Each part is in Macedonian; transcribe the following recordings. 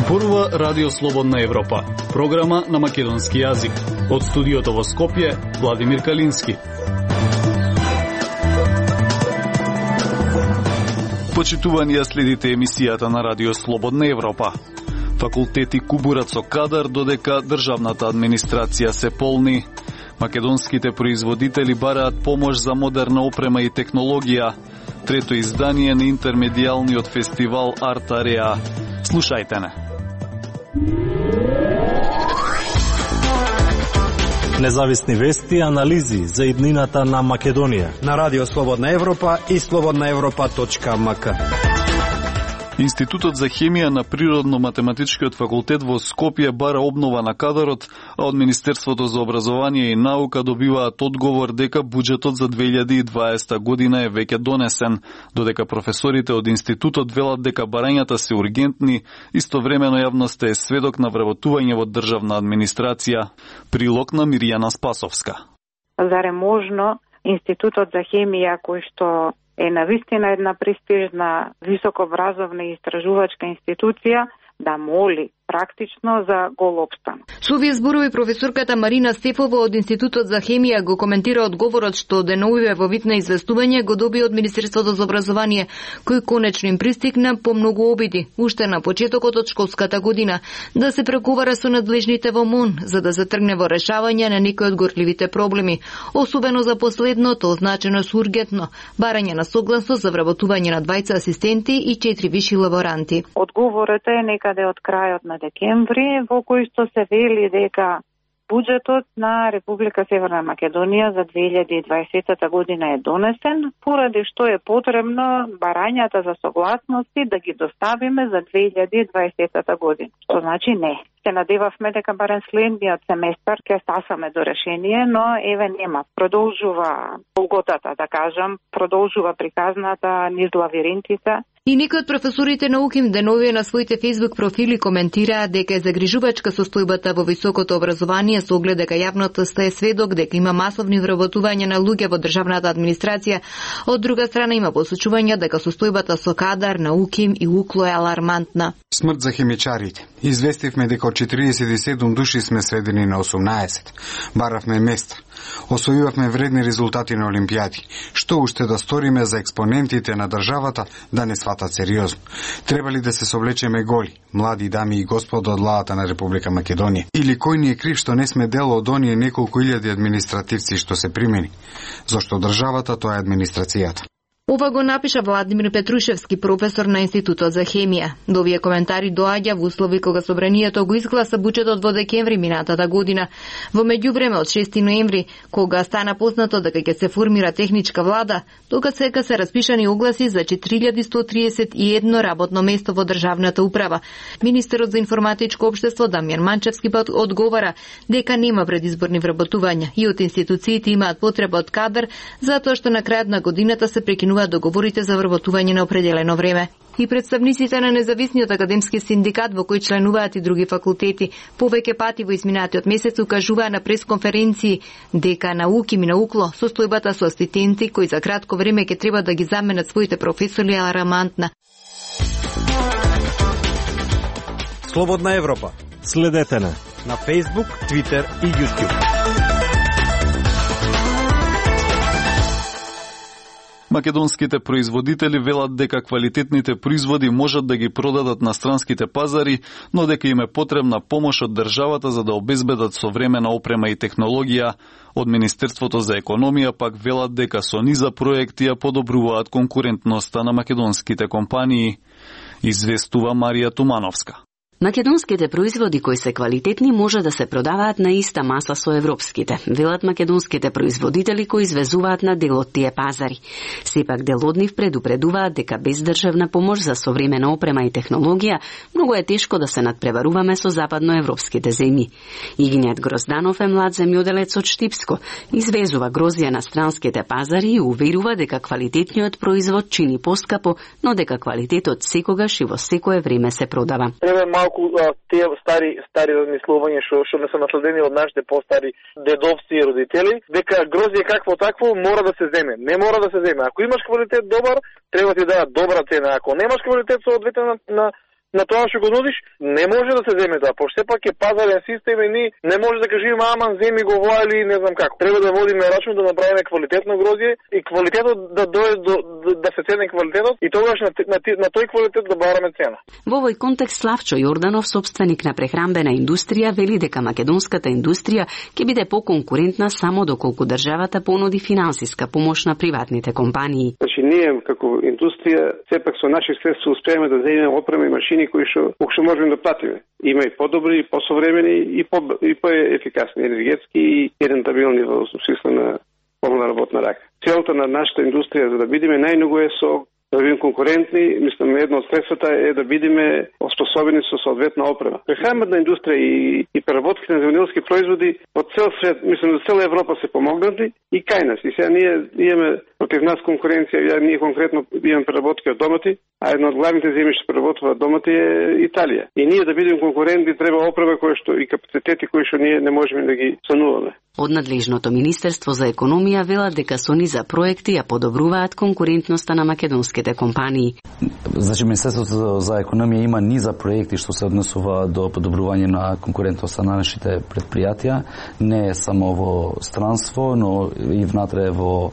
Зборува Радио Слободна Европа, програма на македонски јазик. Од студиото во Скопје, Владимир Калински. Почитувани, ја следите емисијата на Радио Слободна Европа. Факултети кубурат со кадар додека државната администрација се полни. Македонските производители бараат помош за модерна опрема и технологија. Трето издание на интермедијалниот фестивал Арт Ареа. Слушајте не. Независни вести и анализи за иднината на Македонија на Радио Слободна Европа и slobodnaevropa.mk. Институтот за хемија на Природно-математичкиот факултет во Скопје бара обнова на кадарот, а од Министерството за образование и наука добиваат одговор дека буџетот за 2020 година е веќе донесен, додека професорите од институтот велат дека барањата се ургентни, истовремено јавноста е сведок на вработување во државна администрација. Прилог на Мирјана Спасовска. Заре можно Институтот за хемија, кој што е навистина една престижна високообразовна и истражувачка институција, да моли практично за гол опстан. Со овие зборови професорката Марина Стефова од Институтот за хемија го коментира одговорот што деновиве во вид на известување го доби од Министерството за образование, кој конечно им пристигна по многу обиди, уште на почетокот од школската година, да се преговара со надлежните во МОН, за да се тргне во решавање на некои од горливите проблеми, особено за последното, означено со ургентно, барање на согласност за вработување на 20 асистенти и 4 виши лаборанти. Одговорот е некаде од крајот на декември, во кој што се вели дека буџетот на Република Северна Македонија за 2020 година е донесен, поради што е потребно барањата за согласности да ги доставиме за 2020 година. Што значи не. Се надевавме дека барем следниот семестар ќе стасаме до решение, но еве нема. Продолжува голготата, да кажам, продолжува приказната низ лавиринтите. И некои од професорите на УКИМ деновиве на своите фејсбук профили коментираат дека е загрижувачка состојбата во високото образование со оглед дека јавноста е сведок дека има масовни вработувања на луѓе во државната администрација. Од друга страна има посочувања дека состојбата со кадар на УКИМ и УКЛО е алармантна. Смрт за хемичарите. Известивме дека од 47 души сме сведени на 18. Баравме места. Освојувавме вредни резултати на олимпијади. Што уште да сториме за експонентите на државата да не сватат сериозно? Треба ли да се совлечеме голи, млади дами и господа од лавата на Република Македонија? Или кој ни е крив што не сме дел од оние неколку илјади административци што се примени? Зошто државата тоа е администрацијата? Ова го напиша Владимир Петрушевски, професор на Институтот за хемија. До овие коментари доаѓа во услови кога собранието го изгласа буџетот во декември минатата година. Во меѓувреме од 6 ноември, кога стана познато дека ќе се формира техничка влада, тога сега се распишани огласи за 4131 работно место во државната управа. Министерот за информатичко општество Дамјан Манчевски одговара дека нема предизборни вработувања и од институциите имаат потреба од кадар, затоа што на крајот на годината се прекинуваат договорите за вработување на определено време. И представниците на независниот академски синдикат во кој членуваат и други факултети повеќе пати во изминатиот месец укажуваа на пресконференции дека на УКИМ и на УКЛО состојбата со асистенти кои за кратко време ќе треба да ги заменат своите професори е алармантна. Слободна Европа. Следете на Facebook, Twitter и YouTube. Македонските производители велат дека квалитетните производи можат да ги продадат на странските пазари, но дека им е потребна помош од државата за да обезбедат современа опрема и технологија. Од Министерството за економија пак велат дека со низа проекти ја подобруваат конкурентноста на македонските компании. Известува Марија Тумановска. Македонските производи кои се квалитетни може да се продаваат на иста маса со европските, велат македонските производители кои извезуваат на дел од тие пазари. Сепак дел од нив предупредуваат дека без државна помош за современа опрема и технологија многу е тешко да се надпреваруваме со западноевропските земји. Игнијат Грозданов е млад земјоделец од Штипско, извезува грозија на странските пазари и уверува дека квалитетниот производ чини поскапо, но дека квалитетот секогаш и во секое време се продава. малку тие стари размислувања што не се наследени од нашите постари дедовци и родители, дека грозје какво такво мора да се земе. Не мора да се земе. Ако имаш квалитет добар, треба ти дадат добра цена. Ако немаш квалитет соодветен на тоа што го нудиш, не може да се земе тоа. Пошто сепак е пазарен систем и ние не може да кажеме аман земи го воа или не знам како. Треба да водиме рачун да направиме квалитетно грозје и квалитетот да дојде да се цени квалитетот и тогаш на тој квалитет да бараме цена. Во овој контекст Славчо Јорданов, собственик на прехранбена индустрија, вели дека македонската индустрија ќе биде поконкурентна само доколку државата понуди финансиска помош на приватните компании. Значи ние како индустрија сепак со наши средства успееме да земеме опрема и машини кои што можеме да платиме. Има и подобри, и посовремени, и поефикасни енергетски и рентабилни во смисла на полна работна рака. Целта на нашата индустрија за да бидеме најмногу е да бидеме конкурентни, мислам едно од средствата е да бидеме оспособени со соодветна опрема. Прехранбена индустрија и преработките на земјоделски производи од цел свет, мислам за цела Европа се помогнати и кај нас. И сега ние имаме против нас конкуренција, ние конкретно имаме преработки од домати, а едно од главните земји што преработуваат домати е Италија. И ние да бидеме конкурентни треба опрема и капацитети кои што ние не можеме да ги сануваме. Од надлежното Министерство за економија велат дека со низа проекти ја подобруваат конкурентноста на македонските компании. Значи Министерството за економија има низа проекти што се однесува до подобрување на конкурентноста на нашите предпријатија, не само во странство, но и внатре во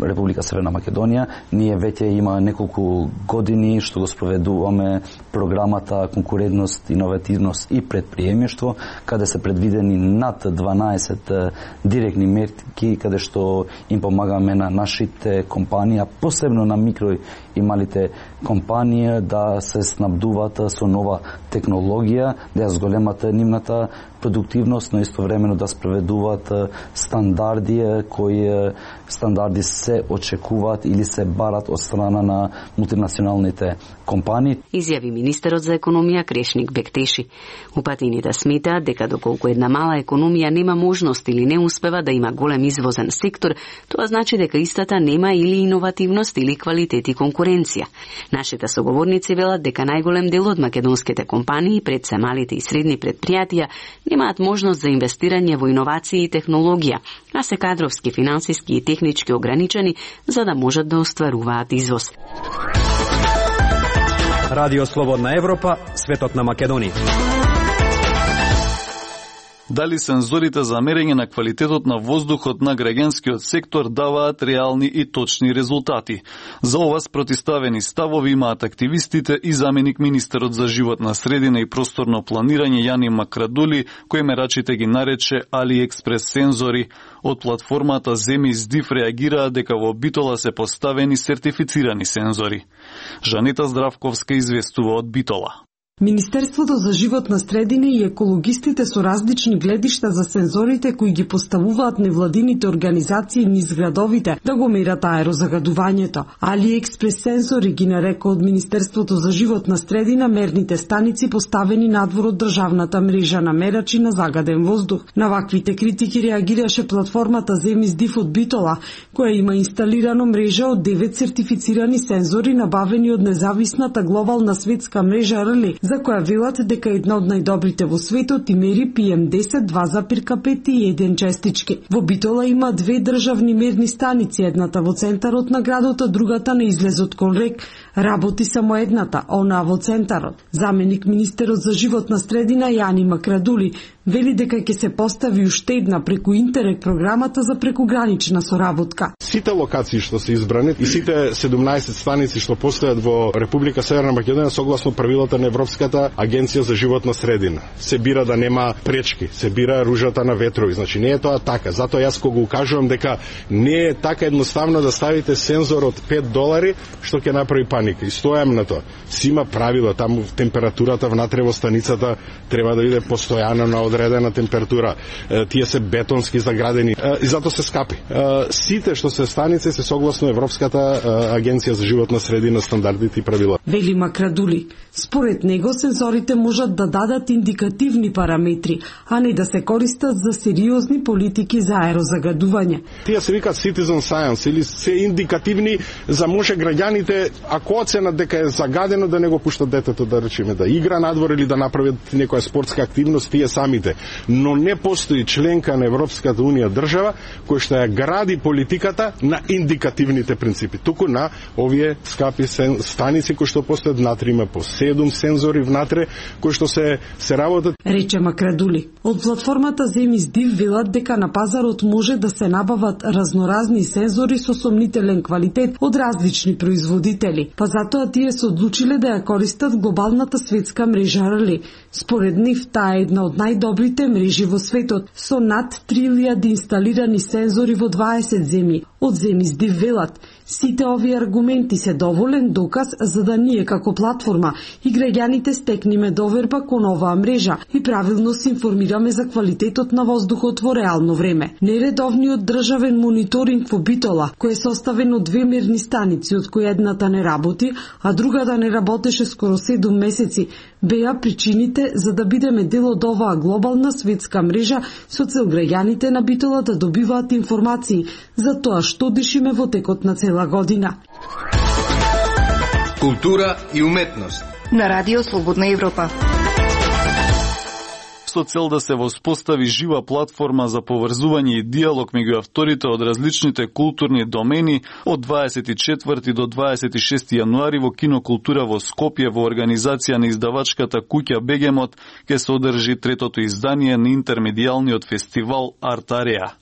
Република Северна Македонија. Ние веќе има неколку години што го спроведуваме програмата Конкурентност, иновативност и предприемништво, каде се предвидени над 12 директни мерки каде што им помагаме на нашите компании, а посебно на микро и малите компании да се снабдуваат со нова технологија, да ја зголемат нивната продуктивност, но истовремено да спроведуваат стандарди кои стандарди се очекуваат или се барат од страна на мултинационалните компании. Изјави министерот за економија Крешник Бектеши. Упатините сметаат дека доколку една мала економија нема можност или не успева да има голем извозен сектор, тоа значи дека истата нема или иновативност или квалитет и конкуренција. Нашите соговорници велат дека најголем дел од македонските компании, пред се малите и средни предпријатија, немаат можност за инвестирање во иновации и технологија, а се кадровски, финансиски и технички ограничени за да можат да остваруваат извоз. Радио Слободна Европа, светот на Македонија. Дали сензорите за мерење на квалитетот на воздухот на граѓанскиот сектор даваат реални и точни резултати? За ова спротиставени ставови имаат активистите и заменик министерот за животна средина и просторно планирање Јани Макрадули, кој мерачите ги нарече AliExpress сензори. Од платформата Земјиздив реагираа дека во Битола се поставени сертифицирани сензори. Жанета Здравковска известува од Битола. Министерството за животна средина и екологистите со различни гледишта за сензорите кои ги поставуваат невладините организации низ градовите да го мерат аерозагадувањето. AliExpress сензори ги нарека од Министерството за животна средина мерните станици поставени надвор од државната мрежа на мерачи на загаден воздух. На ваквите критики реагираше платформата Земјиздив од Битола, која има инсталирано мрежа од 9 сертифицирани сензори набавени од независната глобална светска мрежа РЛИ, за која велат дека една од најдобрите во светот и мери PM10 2,5 и 1 честички. Во Битола има 2 државни мерни станици, едната во центарот на градот, а другата на излезот кон рек. Работи само едната, онаа во центарот. Заменик министерот за животна средина Јани Макрадули вели дека ќе се постави уште една преку Интерек програмата за прекугранична соработка. Сите локации што се избрани и сите 17 станици што постојат во Република Северна Македонија согласно правилата на Европската агенција за животна средина. Се бира да нема пречки, се бира ружата на ветрови. Значи не е тоа така. Затоа јас кога го кажувам дека не е така едноставно да ставите сензор од $5 што ќе направи паника. И стојам на тоа. Си има правила, таму температурата внатре во станицата треба да биде постојана на одредена температура. Тие се бетонски заградени и затоа се скапи. Сите што се станици се согласно Европската агенција за животна средина, стандардите и правила. Вели Макрадули, според него сензорите можат да дадат индикативни параметри, а не да се користат за сериозни политики за аерозагадување. Тие се викаат citizen science или се индикативни за може граѓаните, ако оценат дека е загадено, да не го пуштат детето да речеме да игра надвор или да направат некоја спортска активност тие самите. Но не постои членка на Европската унија држава која што ја гради политиката на индикативните принципи, туку на овие скапи станици кои што постојат внатре, има по 7 сензори внатре кои што се работат. Рече Макрадули. Од платформата Земис Див велат дека на пазарот може да се набават разноразни сензори со сомнителен квалитет од различни производители, па затоа тие се одлучиле да ја користат глобалната светска мрежа Рали. Според нив, таа е една од најдобрите мрежи во светот, со над 3000 инсталирани сензори во 20 земји. Од Земис Див велат, сите овие аргументи се доволен доказ за да ние како платформа и граѓаните стекниме доверба кон оваа мрежа и правилно се информираме за квалитетот на воздухот во реално време. Нередовниот државен мониторинг во Битола, кој е составен од 2 мерни станици, од кои едната не работи, а другата не работеше скоро 7 месеци, беа причините за да бидеме дел од оваа глобална светска мрежа со цел граѓаните на Битола да добиваат информации за тоа што дишиме во текот на цела година. Култура и уметност на Радио Слободна Европа. Со цел да се воспостави жива платформа за поврзување и диалог меѓу авторите од различните културни домени, од 24 до 26 јануари во Кинокултура во Скопје во организација на издавачката куќа Бегемот ќе се одржи третото издание на интермедијалниот фестивал Артареа.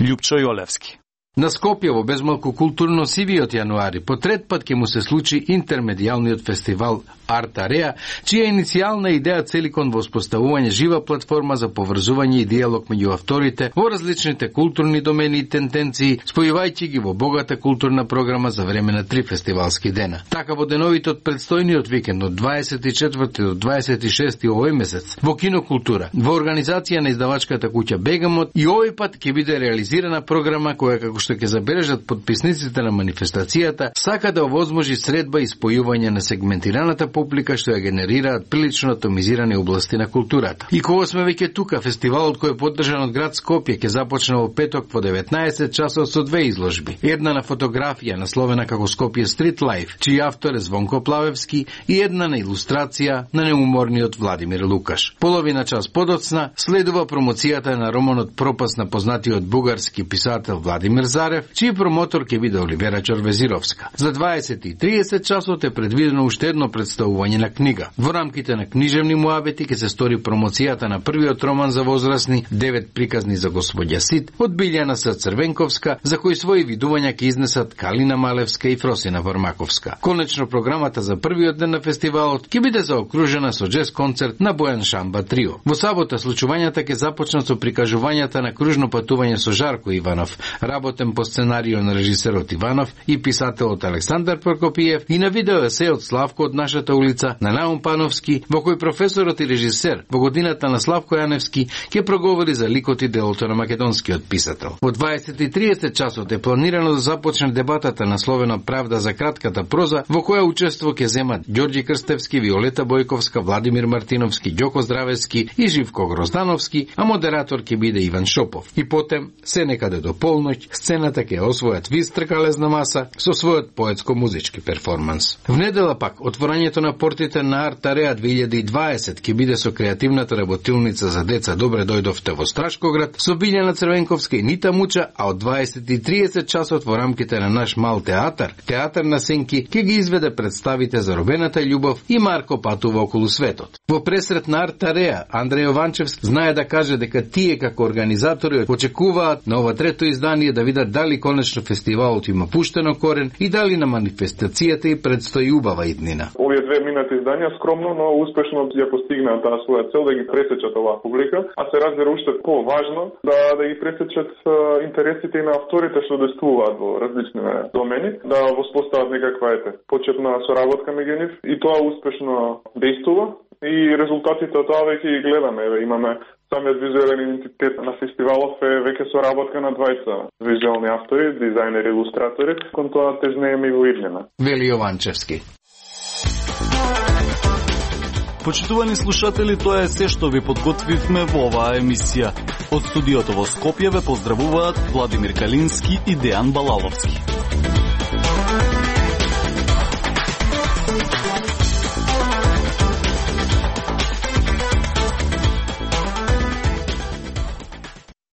Љупчо Јолевски. На Скопје во безмалку културно сивиот јануари по трет пат ќе му се случи интермедијалниот фестивал Артареа, чија иницијална идеја цели кон воспоставување жива платформа за поврзување и диалог меѓу авторите во различните културни домени и тенденции, спојувајќи ги во богата културна програма за време на 3 фестивалски дена. Така во деновите од предстојниот викенд од 24 до 26 овој месец во Кинокултура, во организација на издавачката куќа Бегемот, и овој пат ќе биде реализирана програма која, како што ќе забележат подписниците на манифестацијата, сака да овозможи средба и спојување на сегментираната публика што ја генерираат прилично атомизирани области на културата. И кога сме веќе тука, фестивалот кој е поддржан од град Скопје ќе започне во петок во 19 часот со 2 изложби. Една на фотографија насловена како Скопје Стрит Лайф, чиј автор е Звонко Плавевски, и една на илустрација на неуморниот Владимир Лукаш. Половина час подоцна следува промоцијата на романот Пропаст на познатиот бугарски писател Владимир Зарев, чиј промотор ќе биде Оливера Чорвезировска. За 20:30 часот е предвидено уште едно представување на книга. Во рамките на книжевни муабети ќе се стори промоцијата на првиот роман за возрастни 9 приказни за господја Сид од Билјана Црвенковска, за кои своји видувања ќе изнесат Калина Малевска и Фросина Вармаковска. Конечно, програмата за првиот ден на фестивалот ќе биде заокружена со джез концерт на Бојан Шамба Трио. Во сабота случувањата ќе започнат со прикажувањата на кружно патување со Жарко Иванов, работен по сценарио на режисерот Иванов и писателот Александар Прокопиев, и на видео есе од Славко од нашата улица на Наум Пановски, во кој професорот и режисер во годината на Славко Јаневски ќе проговори за ликот и делото на македонскиот писател. Во 20:30 часот е планирано да започне дебатата насловена Правда за кратката проза, во која учество ќе земат Ѓорѓи Крстевски, Виолета Бојковска, Владимир Мартиновски, Ѓоко Здравевски и Живко Гроздановски, а модератор ќе биде Иван Шопов. И потем, се некаде до полноќ, сцената ќе освојат Виз тркалезна маса со својот поетско-музички перформанс. В недела пак, отворањето на портите на Артареа 2020 ќе биде со креативната работилница за деца Добре дојдовте во Страшкоград, со Билјана Црвенковска и Нита Муча, а од 20:30 часот во рамките на наш мал театар, Театар на сенки, ќе ги изведе представите Заробената љубов и Марко патува околу светот. Во пресрет на Артареа, Андреј Јованчевски знае да каже дека тие како организатори очекуваат на ова трето издание да видат дали конечно фестивалот има пуштено корен и дали на манифестацијата и предстои убава иднина. Овие 2 минати изданија скромно, но успешно ја постигнаат таа своја цел да ги пресечат оваа публика, а се разбира уште поважно да ги пресечат интересите и на авторите што действуваат во различни домени, да воспостават некаква почетна соработка меѓу нив, и тоа успешно действува И резултатите од тоа веќе ги гледаме. Имаме самиот визуелен идентитет на фестивалов е веќе соработка на двајца визуелни автори, дизајнери, илустратори, кон тоа тежнееме и во иднина. Вели Јованчевски. Почитувани слушатели, тоа е се што ви подготвивме во оваа емисија. Од студиото во Скопје ве поздравуваат Владимир Калински и Дејан Балаловски.